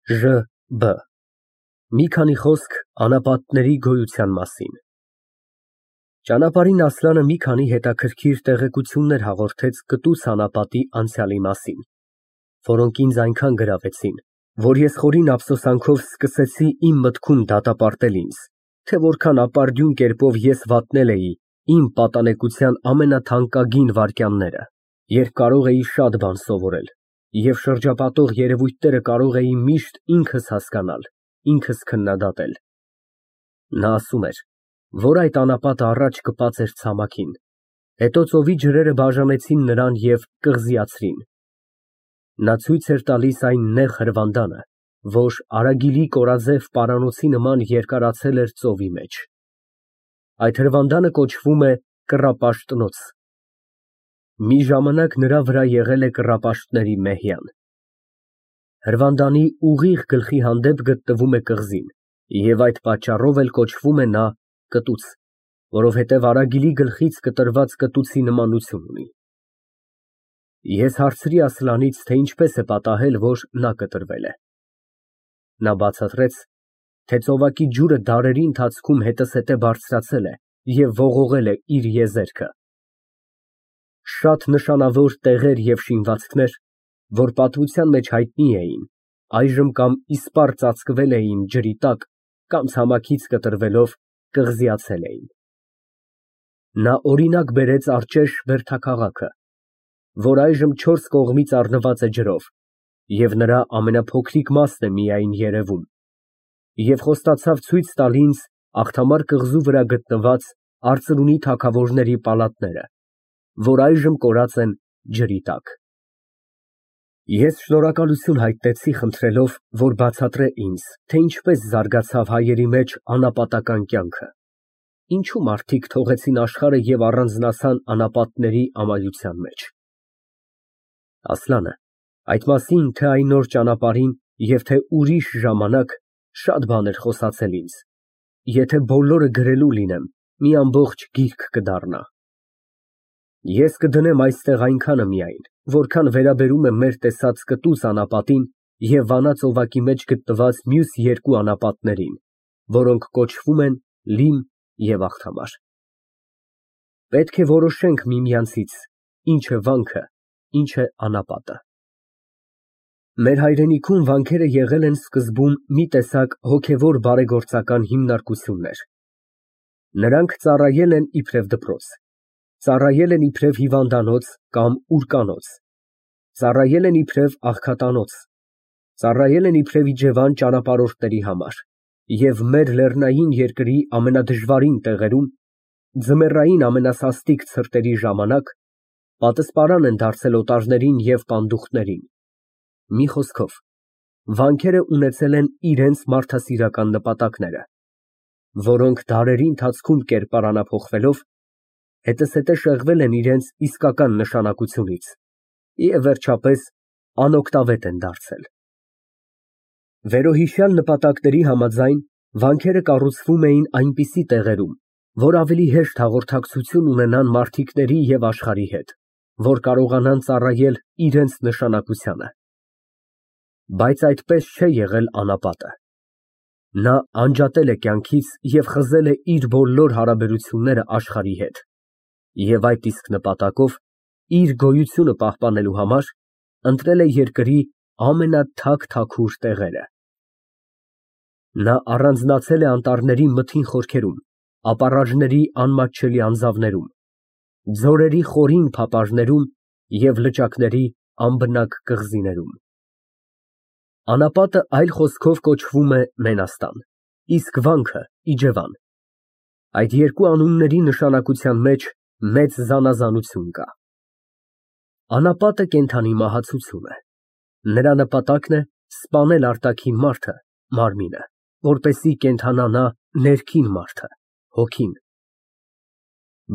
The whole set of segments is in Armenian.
Ժ.Բ. Մի քանի խոսք անապատների գոյության մասին։ Ճանապարհին Ասլանը մի քանի հետաքրքիր տեղեկություններ հաղորդեց կտուցս անապատի անցյալի մասին, որոնք ինձ այնքան գրավեցին, որ ես խորին ափսոսանքով սկսեցի իմ մտքում դատապարտել ինձ, թե որքան ապարդյուն կերպով ես վատնել էի իմ պատանեկության ամենաթանկագին վայրկյանները, երբ կարող էի շատ բան սովորել, և շրջապատող երևույթները կարող էի միշտ ինքս հասկանալ, ինքս քննադատել։ Նա ասում էր, որ այդ անապատը առաջ կպած էր ցամաքին, հետո ծովի ջրերը բաժանեցին նրան և կղզիացրին։ Նա ցույց էր տալիս այն նեղ հրվանդանը, որ արագիլի կորաձև պարանոցի նման երկարացել էր ծովի մեջ։ Այդ հրվանդանը կոչվում է Կռապաշտնոց։ Մի ժամանակ նրա վրա եղել է կռապաշտների մեհյան։ Հրվանդանի ուղիղ գլխի հանդեպ գտնվում է կղզին, և այդ պատճառով էլ կոչվում է նա կտուց, որովհետև արագիլի գլխից կտրված կտուցի նմանություն ունի։ Ես հարցրի Ասլանից, թե ինչպես է պատահել, որ նա կտրվել է։ Նա բացատրեց, թե ծովակի ջուրը դարերի ընթացքում հետզհետե բարձրացել է և ողողել է իր եզերքը։ Շատ նշանավոր տեղեր և շինվածքներ, որ պատմության մեջ հայտնի էին, այժմ կամ իսպառ ծածկվել էին ջրի տակ, կամ ցամաքից կտրվելով կղզիացել էին։ Նա օրինակ բերեց Արջեշ բերդաքաղաքը, որ այժմ չորս կողմից առնված է ջրով, և նրա ամենափոքրիկ մասն է միայն երևում, և խոստացավ ցույց տալ ինձ Աղթամար կղզու վրա գտնված արծրունի թագավորների պալատները, որ այժմ կորած են ջրի տակ։ Ես շնորհակալություն հայտնեցի, խնդրելով, որ բացատրե ինձ, թե ինչպես զարգացավ հայերի մեջ անապատական կյանքը, ինչու մարդիկ թողեցին աշխարհը և առանձնացան անապատների ամայության մեջ։ Ասլանը այդ մասին, թե այն նոր ճանապարհին և թե ուրիշ ժամանակ, շատ բան էր խոսացել ինձ, եթե բոլորը գրելու լինեմ, մի ամբողջ գիրք կդառնա։ Ես կդնեմ այստեղ այնքանը միայն, որքան վերաբերում է մեր տեսած կտուց անապատին և Վանա ծովակի մեջ գտնված մյուս երկու անապատներին, որոնք կոչվում են Լիմ և Աղթամար։ Պետք է որոշենք միմյանցից, ինչ է վանքը, ինչ է անապատը։ Մեր հայրենիքում վանքերը եղել են սկզբում մի տեսակ հոգևոր բարեգործական հիմնարկություններ։ Նրանք ծառայել են իբրև դպրոց, ծառայել են իբրև հիվանդանոց կամ ուրկանոց, ծառայել են իբրև աղքատանոց, ծառայել են իբրև իջևան ճանապարհորդների համար և մեր լեռնային երկրի ամենադժվարին տեղերում, ձմեռային ամենասաստիկ ցրտերի ժամանակ պատսպարան են դարձել օտարներին և պանդուխտներին։ Մի խոսքով, վանքերը ունեցել են իրենց մարդասիրական նպատակները, որոնք դարերի ընթացքում կերպարանափոխվելով, հետզհետե շեղվել են իրենց իսկական նշանակությունից և վերջապես անօգտավետ են դարձել։ Վերոհիշյալ նպատակների համաձայն, վանքերը կառուցվում էին այնպիսի տեղերում, որ ավելի հեշտ հաղորդակցություն ունենան մարդիկների և աշխարհի հետ, որ կարողանան ծառայել իրենց նշանակությանը։ Բայց այդպես չէ եղել անապատը։ Նա անջատել է կյանքից և խզել է իր բոլոր հարաբերությունները աշխարհի հետ, և այդ իսկ նպատակով, իր գոյությունը պահպանելու համար, ընտրել է երկրի ամենաթափ տեղերը։ Նա առանձնացել է անտառների մթին խորքերում, ապառաժների անմատչելի անձավներում, ձորերի խորին փապարներում և լճակների անբնակ կղզիներում։ Անապատը այլ խոսքով կոչվում է Մենաստան, իսկ վանքը իջևան։ Այդ երկու անունների նշանակության մեջ մեծ զանազանություն կա։ Անապատը կենդանի մահացություն է։ Նրա նպատակն է սպանել արտաքին մարդը, մարմինը, որպեսզի կենդանանա ներքին մարդը, հոգին։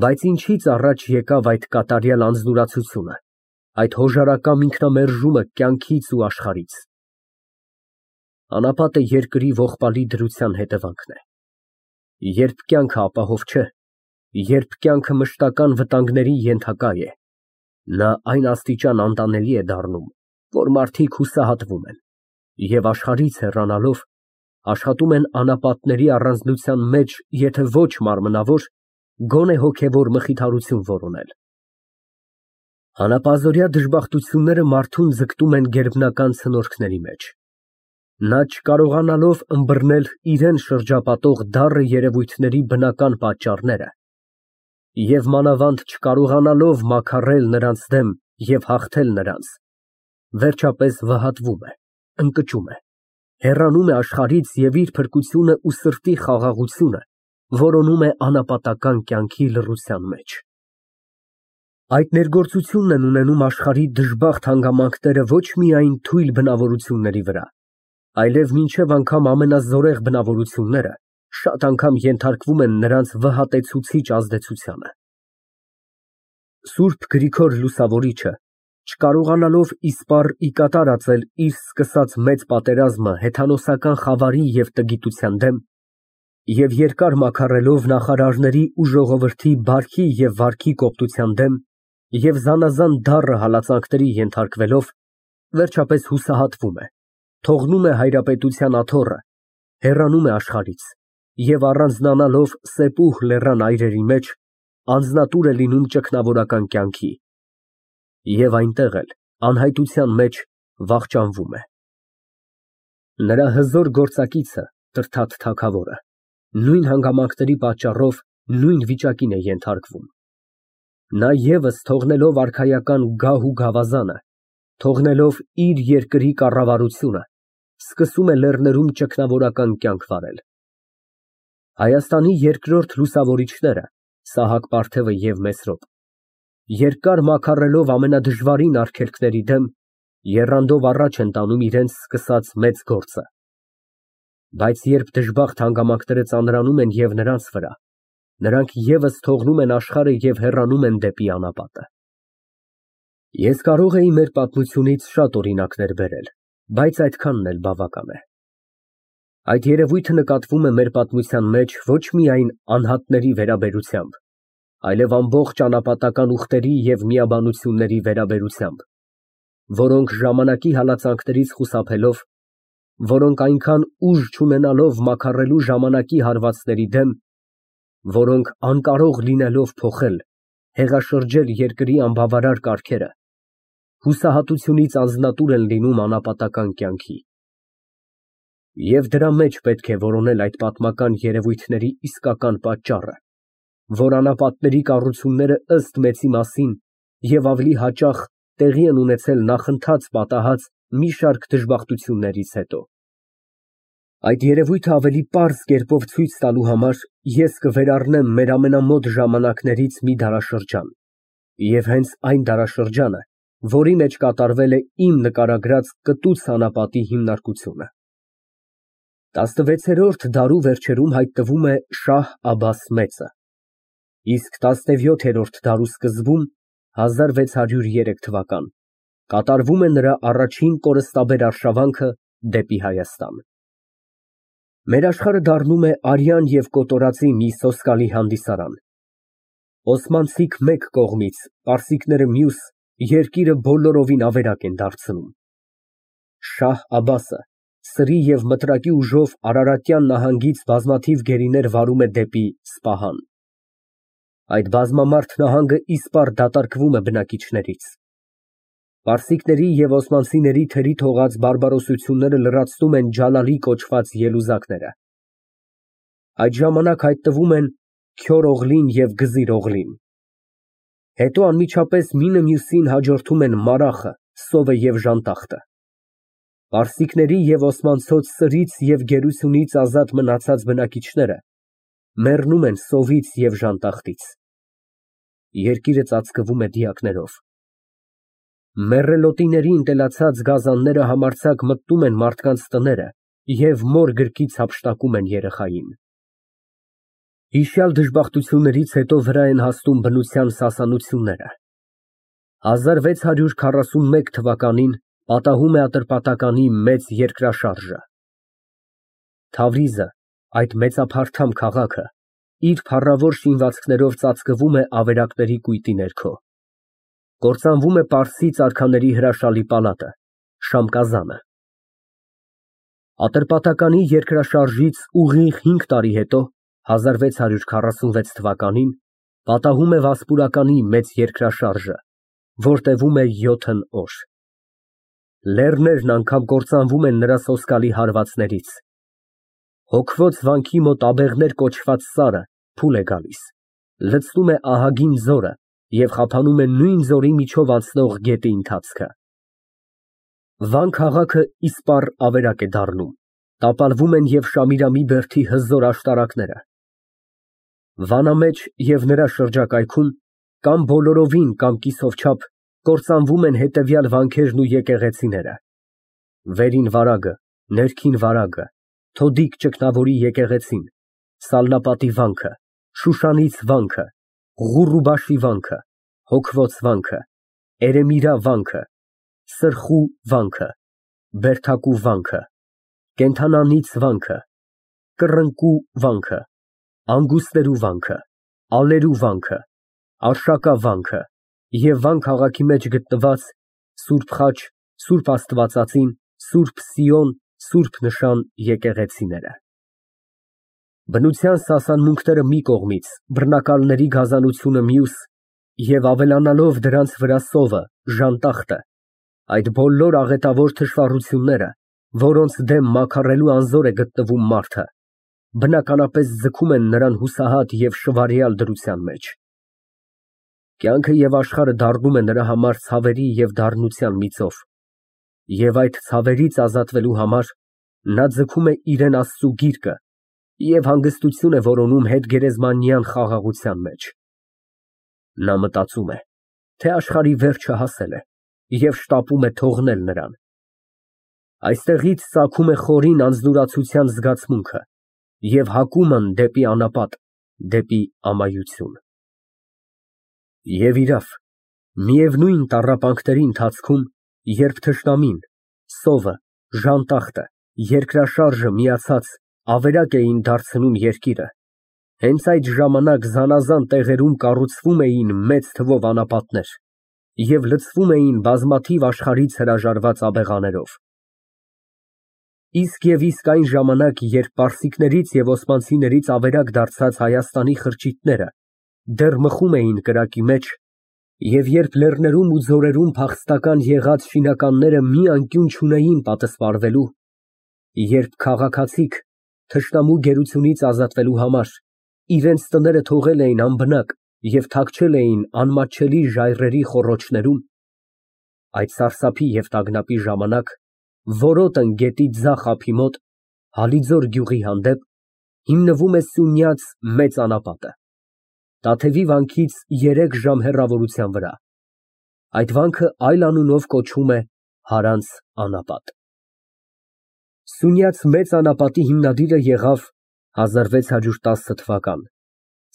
Բայց ինչից առաջ եկավ այդ կատարյալ անձնուրացությունը, այդ հոժարակամ ինքնամերժումը կյանքից ու աշխարհից։ Անապատը երկրի ողբալի դրության հետևանքն է։ Երբ կյանքը ապահով չէ, երբ կյանքը մշտական վտանգների ենթակա է, նա այն աստիճան անտանելի է դառնում, որ մարդիկ հուսահատվում են, Եվ աշխարհից հեռանալով, աշխատում են անապատների առանձնության մեջ, եթե ոչ մարմնավոր, գոնե հոգևոր մխիթարություն որոնել։ Հանապազօրյա դժբախտությունները մարդուն ձգտում են գերբնական ցնորքների մեջ։ Նա չկարողանալով ըմբռնել իրան շրջապատող դառը երևույթների բնական պատճառները և մանավանդ չկարողանալով մաքարել նրանց դեմ և հաղթել նրանց, վերջապես վհատվում է, ընկճում է, հեռանում է աշխարհից և իր փրկությունը ու սրտի խաղաղությունը որոնում է անապատական կյանքի լռության մեջ։ Այդ ներգործությունն են ունենում աշխարհի դժբախտ հանգամանքները ոչ միայն թույլ բնավորությունների վրա, այլև մինչև անգամ ամենազորեղ բնավորությունները շատ անգամ ենթարկվում են նրանց վհատեցուցիչ ազդեցությանը։ Սուրբ Գրիգոր Լուսավորիչը, չկարողանալով իսպառ ի կատար ածել իր սկսած մեծ պատերազմը հեթանոսական խավարի և տգիտության դեմ և երկար մաքարելով նախարարների ու ժողովրդի բարքի և վարքի կոպտության դեմ և զանազան դառը հալածանքների ենթարկվելով, վերջապես հուսահատվում է, թողնում է հայրապետության աթոռը, հեռանում է աշխարհից և առանձնանալով Սեպուհ լեռան այրերի մեջ, անձնատուր է լինում ճգնավորական կյանքի և այնտեղ էլ, անհայտության մեջ, վախճանվում է։ Նրա հզոր գործակիցը Տրդատ թագավորը նույն հանգամանքների պատճառով նույն վիճակին է ենթարկվում։ Նա ևս թողնելով արքայական գահ ու գավազանը, թողնելով իր երկրի կառավարությունը, սկսում է լեռներում ճգնավորական կյանք վարել։ Հայաստանի երկրորդ լուսավորիչները Սահակ Պարթևը և Մեսրոպ, երկար մաքարելով ամենադժվարին արգելքների դեմ, եռանդով առաջ են տանում իրենց սկսած մեծ գործը։ Բայց երբ դժբախտ հանգամանքները ծանրանում են և նրանց վրա, նրանք ևս թողնում են աշխարհը և հեռանում են դեպի անապատը։ Ես կարող էի մեր պատմությունից շատ օրինակներ բերել, բայց այդքանն էլ բավական է։ Այդ երևույթը նկատվում է մեր պատմության մեջ ոչ միայն անհատների վերաբերությամբ, այլև ամբողջ անապատական ուխտերի և միաբանությունների վերաբերությամբ, որոնք ժամանակի հալածանքներից խուսափելով, որոնք այնքան ուժ չունենալով մաքարելու ժամանակի հարվածների դեմ, որոնք անկարող լինելով փոխել, հեղաշրջել երկրի անբավարար կարգերը, հուսահատությունից անձնատուր են լինում անապատական կյանքի։ Եվ դրա մեջ պետք է որոնել այդ պատմական երևույթների իսկական պատճառը, որ անապատների կառուցումները ըստ մեծի մասին և ավելի հաճախ տեղի են ունեցել նախընթաց պատահած մի շարք դժբախտություններից հետո։ Այդ երևույթը ավելի պարզ կերպով ցույց տալու համար ես կվերառնեմ մեր ամենամոտ ժամանակներից մի դարաշրջան և հենց այն դարաշրջանը, որի մեջ կատարվել է իմ նկարագրած կտուցը անապատի հիմնարկությունը։ 16-րդ դարու վերջերում հայտնվում է Շահ Աբբաս մեծը, իսկ 17-րդ դարու սկզբում (1603 թվական) կատարվում է նրա առաջին կորստաբեր արշավանքը դեպի Հայաստան։ Մեր աշխարհը դառնում է արյան և կոտորածի մի սոսկալի հանդիսարան։ Օսմանցիք մեկ կողմից, պարսիկները մյուս, երկիրը բոլորովին ավերակ են դարձնում։ Շահ Աբբասը սրի և մտրակի ուժով Արարատյան նահանգից բազմաթիվ գերիներ վարում է դեպի Սպահան։ Այդ բազմամարդ նահանգը իսպառ դատարկվում է բնակիչներից։ Պարսիկների և օսմանցիների թերի թողած բարբարոսությունները լրացնում են Ջալալի կոչված ելուզակները։ Այդ ժամանակ հայտնվում են Քյոր Օղլին և Գզիր Օղլին։ Հետո անմիջապես մինը մյուսին հաջորդում են Մարախը, Սովը և Ժանտախտը։ Պարսիկների և օսմանցոց սրից և գերությունից ազատ մնացած բնակիչները մեռնում են սովից և ժանտախտից։ Երկիրը ծածկվում է դիակներով։ Մեռելոտիների ընտելացած գազանները համարձակ մտնում են մարդկանց տները և մոր գրկից հափշտակում են երեխային։ Հիշյալ դժբախտություններից հետո վրա են հասնում բնության սասանությունները։ 1641 թվականին պատահում է Ատրպատականի մեծ երկրաշարժը։ Թավրիզը, այդ մեծափարթամ քաղաքը, իր փառավոր շինվածքներով ծածկվում է ավերակների կույտի ներքո։ Կործանվում է պարսից արքաների հրաշալի պալատը, Շամկազանը։ Ատրպատականի երկրաշարժից ուղիղ 5 տարի հետո, 1646 թվականին, պատահում է Վասպուրականի մեծ երկրաշարժը, որ տևում է 7 օր։ Լեռներն անգամ կործանվում են նրա սոսկալի հարվածներից։ Հոգվոց վանքի մոտ աբեղներ կոչված սարը փուլ է գալիս, լցնում է ահագին ձորը և խափանում է նույն ձորի միջով անցնող գետի ընթացքը։ Վան քաղաքը իսպառ ավերակ է դառնում, տապալվում են և Շամիրամի բերդի հզոր աշտարակները։ Վանամեջ և նրա շրջակայքում կամ բոլորովին, կամ կիսով չափ կործանվում են հետևյալ վանքերն ու եկեղեցիները. Վերին վարագը, ներքին վարագը, Թոդիկ ճգնավորի եկեղեցին, Սալնապատի վանքը, Շուշանից վանքը, Ղուռուբաշի վանքը, Հոգվոց վանքը, Էրեմիրա վանքը, Սրխու վանքը, Բերդակու վանքը, Կենդանանից վանքը, Կռնկու վանքը, Անգուսներու վանքը, Ալերու վանքը, Արշակա վանքը և Վան քաղաքի մեջ գտնված Սուրբ Խաչ, Սուրբ Աստվածածին, Սուրբ Սիոն, Սուրբ Նշան եկեղեցիները։ Բնության սասանմունքները մի կողմից, բռնակալների գազանությունը մյուս և ավելանալով դրանց վրա սովը, ժանտախտը, այդ բոլոր աղետավոր թշվառությունները, որոնց դեմ մաքարելու անզոր է գտնվում մարդը, բնականապես ձգում են նրան հուսահատ և շվարյալ դրության մեջ։ Կյանքը և աշխարհը դառնում է նրա համար ցավերի և դառնության մի ծով, և այդ ցավերից ազատվելու համար նա ձգում է իրան Աստծու գիրկը և հանգստություն է որոնում հետգերեզմանյան խաղաղության մեջ։ Նա մտածում է, թե աշխարհի վերջը հասել է և շտապում է թողնել նրան։ Այստեղից ծագում է խորին անձնուրացության զգացմունքը և հակումն դեպի անապատ, դեպի ամայություն։ Եվ իրավ, միևնույն տառապանքների ընթացքում, երբ թշնամին, սովը, ժանտախտը, երկրաշարժը միացած ավերակ էին դարձնում երկիրը, հենց այդ ժամանակ զանազան տեղերում կառուցվում էին մեծ թվով անապատներ և լցվում էին բազմաթիվ աշխարհից հրաժարված աբեղաներով։ Իսկ և իսկ այն ժամանակ, երբ պարսիկներից և օսմանցիներից ավերակ դարձած Հայաստանի խրճիթները դեռ մխում էին կրակի մեջ, և երբ լեռներում ու ձորերում փախստական եղած շինականները մի անկյուն չունեին պատսպարվելու, երբ քաղաքացիք, թշնամու գերությունից ազատվելու համար, իրենց տները թողել էին անբնակ և թաքչել էին անմատչելի ժայռերի խոռոչներում, այդ սարսափի և տագնապի ժամանակ որոտն գետի ձախ ափի մոտ, Հալիձոր գյուղի հանդեպ, հիմնվում է Սյունյաց մեծ անապատը, Տաթևի վանքից 3 ժամ հեռավորության վրա։ Այդ վանքը այլ անունով կոչվում է Հարանց անապատ։ Սյունյաց մեծ անապատի հիմնադիրը եղավ 1610 թվական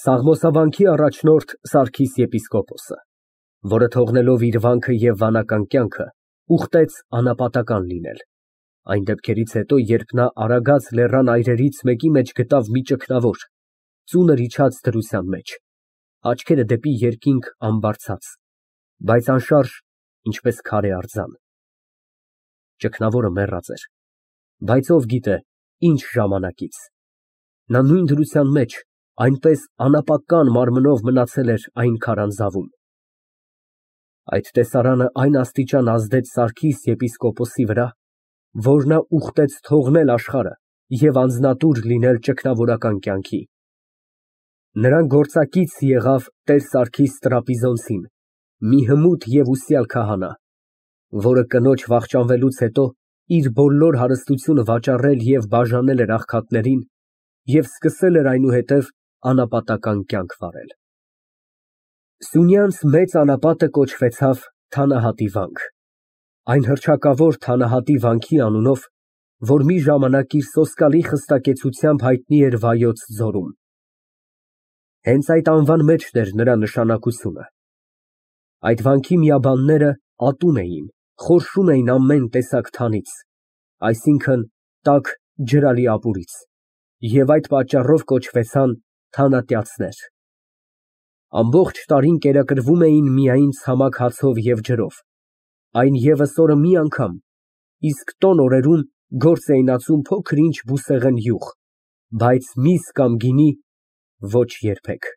Սաղմոսավանքի առաջնորդ Սարգիս եպիսկոպոսը, որը թողնելով իր վանքը և վանական կյանքը, ուխտեց անապատական լինել, այն դեպքերից հետո, երբ նա Արագած լեռան այրերից մեկի մեջ գտավ մի ճգնավոր, ծունր իջած դրության մեջ, աչքերը դեպի երկինք ամբարձած, բայց անշարժ, ինչպես քարե արձան։ Ճգնավորը մեռած էր, բայց ով գիտե ինչ ժամանակից, նա նույն դրության մեջ, այնպես անապական մարմնով մնացել էր այն քարանձավում։ Այդ տեսարանը այն աստիճան ազդեց Սարգիս եպիսկոպոսի վրա, որ նա ուխտեց թողնել աշխարհը և անձնատուր լինել ճգնավորական կյանքի։ Նրան գործակից եղավ Տեր Սարգիս Տրապիզոնցին, մի հմուտ և ուսյալ քահանա, որը կնոջ վախճանվելուց հետո իր բոլոր հարստությունը վաճառել և բաժանել էր աղքատներին և սկսել էր այնուհետև անապատական կյանք վարել։ Սյունյանց մեծ անապատը կոչվեցավ Թանահատի վանք, այն հռչակավոր Թանահատի վանքի անունով, որ մի ժամանակ իր սոսկալի խստակեցությամբ հայտնի էր Վայոց ձորում։ Հենց այդ անվան մեջն էր նրա նշանակությունը։ Այդ վանքի միաբանները ատում էին, խորշում էին ամեն տեսակ թանից, այսինքն՝ տաք, ջրալի ապուրից, և այդ պատճառով կոչվեցան թանատյացներ։ Ամբողջ տարին կերակրվում էին միայն ցամաք հացով և ջրով, այն ևս օրը մի անգամ, իսկ տոն օրերում Գործ էին ածում փոքր֊ինչ բուսեղեն յուղ, բայց միս կամ գինի ոչ երբեք։